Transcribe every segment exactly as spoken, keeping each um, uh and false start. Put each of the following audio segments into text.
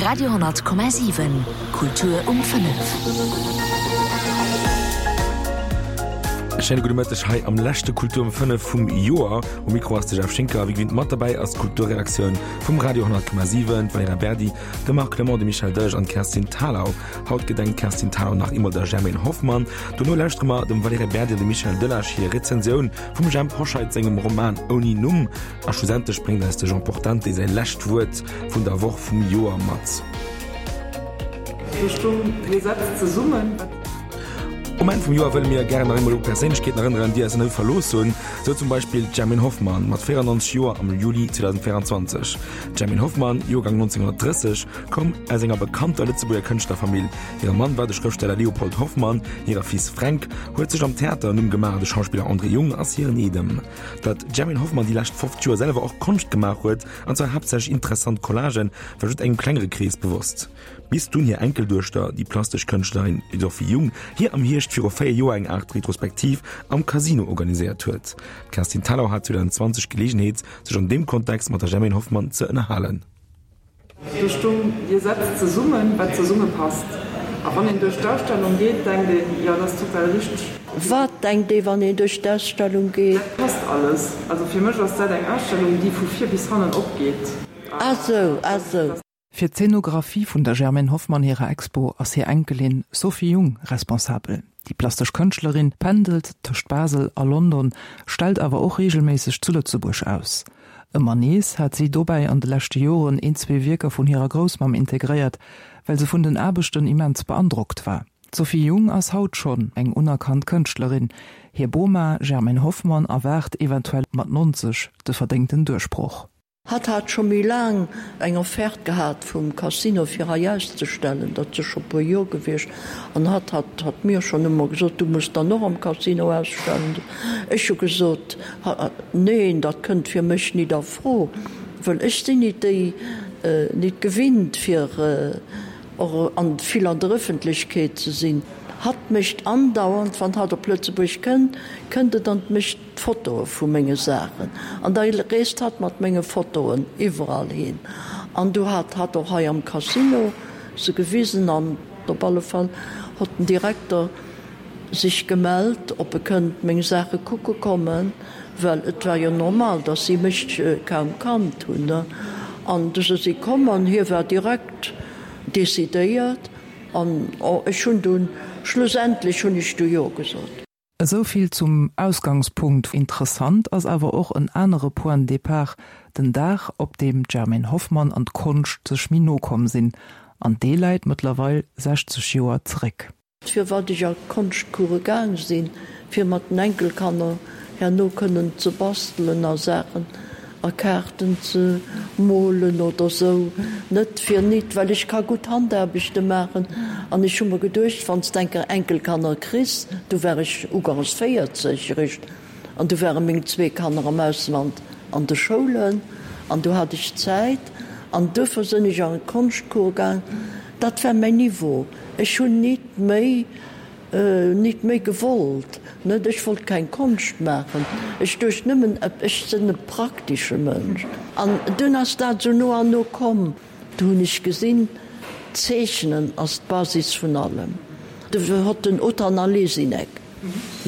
Radio honnert Komma siwen, Kultur um fënnef. E schéine gudde Mëtteg hei am leschte Kultur um fënnef vum Joer. Um Mikro ass de Jeff Schinker. Wéi gewinnt mat derbäi ass d'Kulturredaktioun vum Radio honnert Komma siwen, d'Valerija Berdi, de Marc Clement, de Michel Delage an d'Kerstin Thalau. Haut gedenkt d'Kerstin Thalau nach eemol der Germaine Hoffmann. Dono lauschtere mer dem Valerija Berdi an dem Michel Delage hir Rezensioun vum Jhemp Hoscheit sengem Roman Ouni Numm. A schlussendlech bréngt eis de Jean Portante säi lescht Wuert vun der Woch vum Joer mat. Do stung, Dir setzt zesummen. Um Enn vum Joer wëlle mir gären nach eemol u Perséinlechkeeten erënneren, déi eis elo verlooss hunn. Sou zum Beispill d'Germaine Hoffmann mat véierannonzeg Joer am Juli zweedausendvéierundzwanzeg. D'Germaine Hoffmann, Joergang nonzénhunnertdrësseg, koum aus enger bekannter Lëtzebuerger Kënschtlerfamill. Hire Mann war de Schrëftsteller Léopold Hoffmann, hire Fils Fränk huet sech am Theater en Numm gemaach, de Schauspiller André Jung ass hiren Eedem. Datt d'Germaine Hoffmann déi lescht fofzeg Joer selwer och Konscht gemaach huet, an zwar haaptsächlech interessant Collagen, war just engem klengere Krees bewosst. Bis dunn hir Enkelduechter, déi plastesch Kënschtlerin Sophie Jung, hir am Hierscht viru véier Joer eng Aart Retrospektiv am Casino organiséiert huet. D'Kerstin Thalau hat zweedausendenzwanzeg d'Geleegenheet, sech an deem Kontext mat der Germaine Hoffmann ze ënnerhalen. Do stung, Dir setzt zesummen, wat zesumme passt. A wann een duerch d'Ausstellung geet, denkt een, Jo, dat ass total richteg. Wat denkt ee, wann een duerch d'Ausstellung geet? Dat passt alles. Also fir mech ass dat eng Ausstellung, déi vu vir bis hannen opgeet. Ah sou, ah sou. Fir d'Zeenografie vun der Germaine Hoffmann hirer Expo ass hir Enkelin Sophie Jung responsabel. Déi plastesch Kënschtlerin pendelt tëscht Basel a London, stellt awer och reegelméisseg zu Lëtzebuerg aus. Ëmmer nees hat si dobäi an de leschte Joren een, zwee Wierker vun hirer Groussmamm integréiert, well se vun den Aarbechten immens beandrockt war. D'Sophie Jung ass haut schonn eng unerkannt Kënschtlerin. Hir Boma Germaine Hoffmann erwaart eventuell mat nonzeg de verdéngten Duerchbroch. Hatt hat scho méi laang eng Offerte gehat vum Casino fir hei auszestellen, dat si scho puer Joer gewiescht, an hatt hat hat mir schonn ëmmer gesot, du muss dann och am Casino ausstellen. Ech hu gesot, neen, dat kënnt fir mech nit a Fro, wëll ech sinn nit déi, nit gewinnt fir och an vill an der Ëffentlechkeet ze sinn. Hatt mécht andauernd, wann hatt op Lëtzebuerg kënnt, kënnt et an mécht Fotoe vu menge Saachen. An da reest hatt mat menge Fotoen iwwerall hin. An du hat hatt och hei am Casino se gewisen. An op alle Fall hott den Direkter sech gemellt, ob e kënnt meng Saache kucke kommen, well et war jo normal, dass si mech kaum kannt hunn. An du si si komm an hie war direkt decidéiert. An ech hunn dunn, schlussendlech hunn ech du Jo gesot. Esou vill zum Ausgangspunkt. Interessant ass awer och en anere Point de départ, den Dag, op deem d'Germaine Hoffmann an d'Konscht sech méi no komm sinn. An dee läit mëttlerweil sechzeg Joer zeréck. Firwat ech a Konschtcourse gaang sinn, fir mat den Enkelkanner herno kënnen ze bastelen a Saachen a Kaarten ze molen oder sou. Net fir nit, well ech ka gutt Handaarbechte maachen an ech hu mer geduecht, wann s d'enker Enkelkanner kriss, du war ech ugangs véierzeg eréischt an du ware meng zwee Kanner am Ausland an de Schoulen an du hat ech Zäit an duerfir sënn ech an Konschtcours gaang. Dat war mäin Niveau. Ech hunn nit méi Nit méi gewollt, net? Ech wollt keng Konscht maachen. Ech duecht nëmmen, ech sinn e praktesche Mënsch. An dunn ass dat esou no an no komm. Du hunn ech gesinn, Zeechnen ass d'Basis vun allem. Du hott den Otan Alesinek,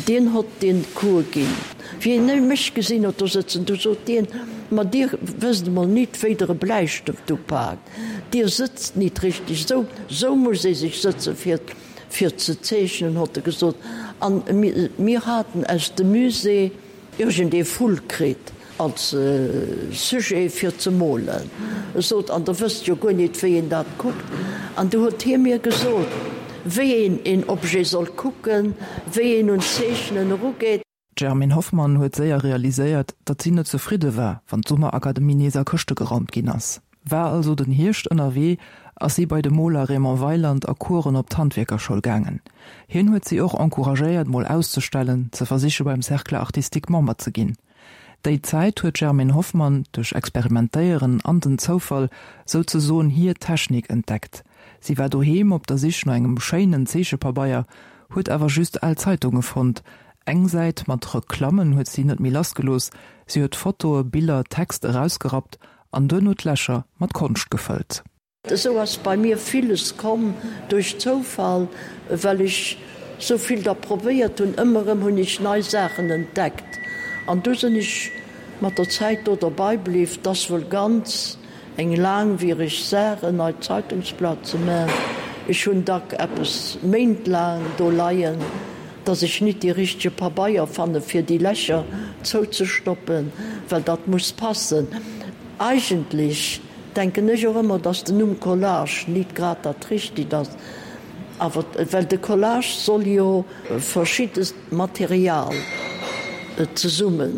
dien hott dien Cours ginn. Wéi en mech gesinn hott do sëtzen, du sot dien, Ma Dir wësst emol nit, wéi Der e Bläistëft upaakt. Dir sëtzt nit richteg. Esou, esou muss ee sech sëtzen, fir. fir ze zeechnen, hott e gesot, an mir haten aus dem Musée iergend ee Vull kritt als Sujet fir ze molen. E sot, an der wësst jo guer nit, wéi een dat kuckt. An du huet hie mir gesot, wéi een een Objet soll kucken, wéi een un d'Zeechnen erugeet. D'Germaine Hoffmann huet séier realiséiert, datt si net zefridde war, wann d'Summerakademie nees a Këschte geraumt ginn ass. War also den Hierscht ënnerwee, ass si bei de Moler Raymond Weyland a Coursen op d'Handwierkerschoul gaangen. Hien huet si och encouragéiert, mol auszestellen, ze versiche beim Cercle artistique Member ze ginn. Déi Zäit huet d'Germaine Hoffmann duerch Experimentéieren an den Zoufall souzesoen hir Technik entdeckt. Si war doheem op der Sich no engem schéinen Zeechepabeier, huet awer just al Zeitunge fonnt. Eng Säit mat Reklammen huet si net méi lassgelooss, si huet Fotoe, Biller, Text erausgerappt an duerno d'Lächer mat Konscht gefëllt. Esou ass bei mir villes komm duerch Zoufall, well ech sou vill da probéiert hunn. Ëmmer erëm hunn ech nei Saachen entdeckt an du sinn ech mat der Zäit do derbei bliww. 't ass wuel ganz eng laangwiereg Saach, en neit Zeitungsblat ze man. Ech hunn dack eppes méintlaang do leien, dass ech nit dee richtege Pabeier fanne fir déi Lächer zouzestoppen, well dat muss passen. Eigentlech denken ech och ëmmer, dass den Numm Collage nit grad dat Richtigt ass, awer well de Collage soll jo verschiddes Material zesumme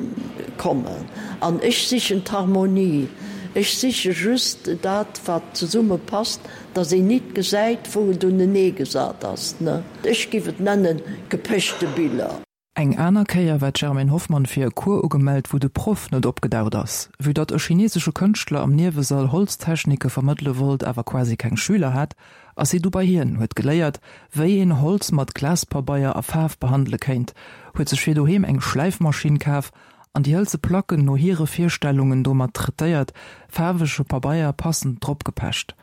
kommen an ech sichen d'Harmonie, ech siche just dat wat zesumme passt, dass een nit gesäit wou et unenee gesat ass, ne? Ech giff et nennen gepechte Biller. Eng aner Kéier war d'Germaine Hoffmann fir e Cours ugemellt, wou de Proff net opgedaucht ass. Vue datt e chinesesche Kënschtler am Niewesall Holztechnike vermëttele wollt, awer quasi keng Schüler hat, ass si du bei hien, huet geléiert, wéi een Holz mat Glaspabeier a Faarf behandele kéint, huet sech fir doheem eng Schläifmaschinn kaf an déi hëlze Placken no hire Virstellungen domat traitéiert, faarwege Pabeier passend drop gepecht.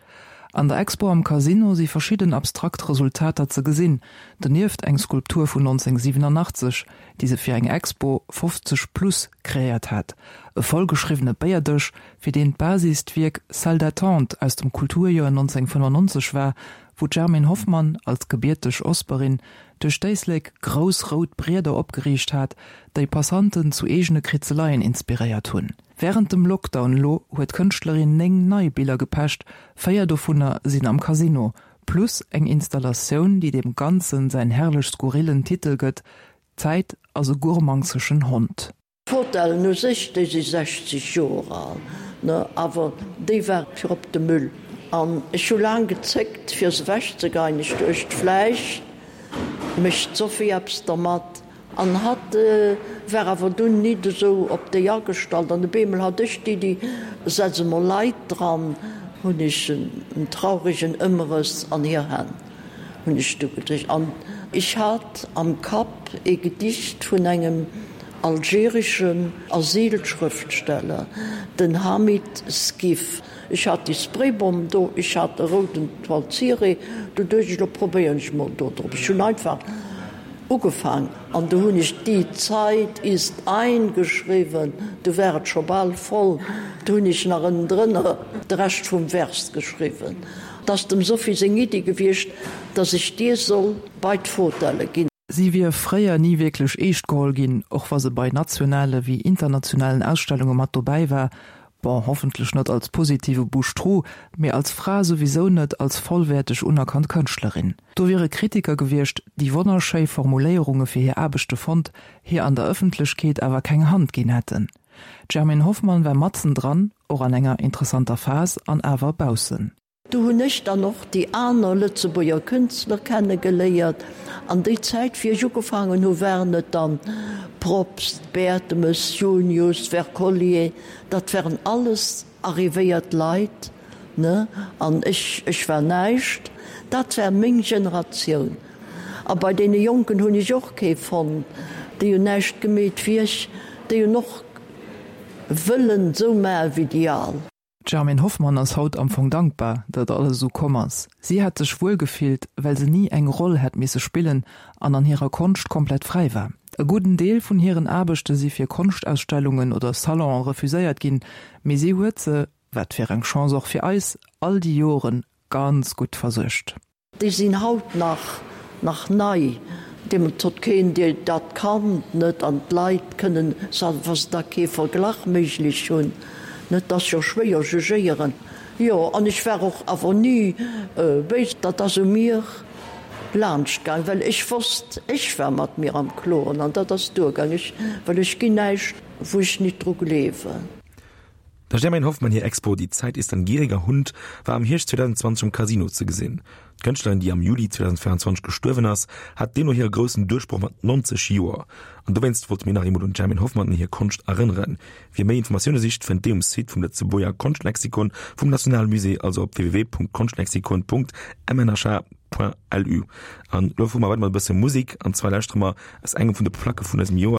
An der Expo am Casino si verschidden abstrakt Resultater ze gesinn, donieft eng Skulptur vun nonzénhundertsiewenundachtzeg, déi se fir eng Expo fofzeg plus kreéiert hat, e vollgeschriwwene Béierdësch, fir deen d'Basis d'Wierk Salle d'attente aus dem Kulturjoer nonzénhundertfënnefundneunzeg war, wou d'Germaine Hoffmann als gebierteg Osperin duerch d'Éislek grouss rout Brieder opgeriicht hat, déi Passanten zu eegene Kritzeleien inspiréiert hunn. Wärend dem Lockdown elo huet d'Kënschtlerin néng nei Biller gepecht, véier dovunner sinn am Casino, plus eng Installatioun, déi deem Ganzen säin herrlech skurrillen Titel gëtt, D'Zäit ass e gurmangseschen Hond. D'Fotellen u sech, déi si sechzeg Joer al, ne, awer déi war fir op de Müll. An ech hu laang gezéckt, fir se ewechzegeien. Ech duecht, vläicht mécht d'Sophie eppes dermat. An hatt war awer dunn nit esou op déi agestallt. An op eemol hat ech d'Iddi, setz emol Leit dran, hunn ech en trauregen Ëmrëss an hir Hänn hunn ech du gedréckt. An ech hat am Kapp ee Gedicht vun engem algereschen Asylschrëftsteller, den Hamid Skif. Ech hat déi Spraybomb do, ech hat e rouden Toile cirée, du duecht ech, lo probéieren ech mol do drop. Ech hunn einfach ugefaang an du hunn ech Die Zeit ist ein geschriwwen, du war et scho bal voll, du hunn ech nach ënnendrënner de Rescht vum Vers geschriwwen. 't ass dem Sophie seng Iddi gewiescht, dass ech dir soll bei d'Fotelle ginn. Si wier fréier ni wierklech eescht geholl ginn, och wa se bei nationale wéi internationalen Ausstellunge mat dobäi war, bon, hoffentlech net als positive Bouche-trou, mee als Fra souwisou net als vollwäerteg unerkannt Kënschtlerin. Do wiere Kritiker gewiescht, déi wonnerschéi Formuléierunge fir hir Aarbechte fonnt, hir an der Ëffentlechkeet awer keng Hand ginn hätten. D'Germaine Hoffmann war matzen dran, och an enger interessanter Phas, an awer baussen. Do hunn ech dann och déi aner Lëtzebuerger Künstler kenne geléiert. An déi Zäit, wéi ech ugefaangen hu waren et dann Probst, Bertemes, Junius, Wercollier, dat waren alles arrivéiert Leit, ne, an ech, ech war näischt. Dat war meng Generatioun. A bei deene Jonken hunn ech och kee fonnt, déi hunn näischt gemeet wéi ech, déi hunn och wëllen esou maache wéi déi al. D'Germaine Hoffmann ass haut am Fong dankbar, datt alles esou komm ass. Si hätt sech wuel gefillt, well se ni eng Roll hätt misse spillen an an hirer Konscht komplett fräi war. E gudden Deel vun hiren Aarbechte si fir Konschtausstellungen oder Salonen refuséiert ginn, mee si huet se, wat fir eng Chance och fir eis, all déi Joren ganz gutt versuergt. Déi sinn haut nach nach nei. Deemools huet keen déi dat kannt, net, an d'Leit kënnen, wa se da kee Verglach méiglech hunn, net, dat ass jo schwéier jugéieren. Jo, an ech war och awer ni béis, dat ass u mir laanscht gaang, well ech wosst, ech war mat mir am Kloren an dat ass duergaang, ech, well ech ginn näischt, wou ech nit dru gleewen. Der Germaine Hoffmann hir Expo Die Zeit ist ein gieriger Hund war am Hierscht zweitausendzwanzeg am Casino ze gesinn. D'Kënschtlerin, déi am Juli zweitausendvéierundzwanzeg gestuerwen ass, hat deemno hire groussen Duerchbroch mat neunzeg Joer. An dowéinst wollte mir nach eemol un d'Germaine Hoffmann an hir Konscht erënneren. Wie méi Informatioune sicht, fënnt déi um Site vum Lëtzebuerger Konschtlexikon vum Nationalmusée, also op www.konstlexikon.mnh.lu. An elo fuere mer weider mat e bësse Musek, an zwar lauschtere mer aus engem vun de Placke vun dësem Joer.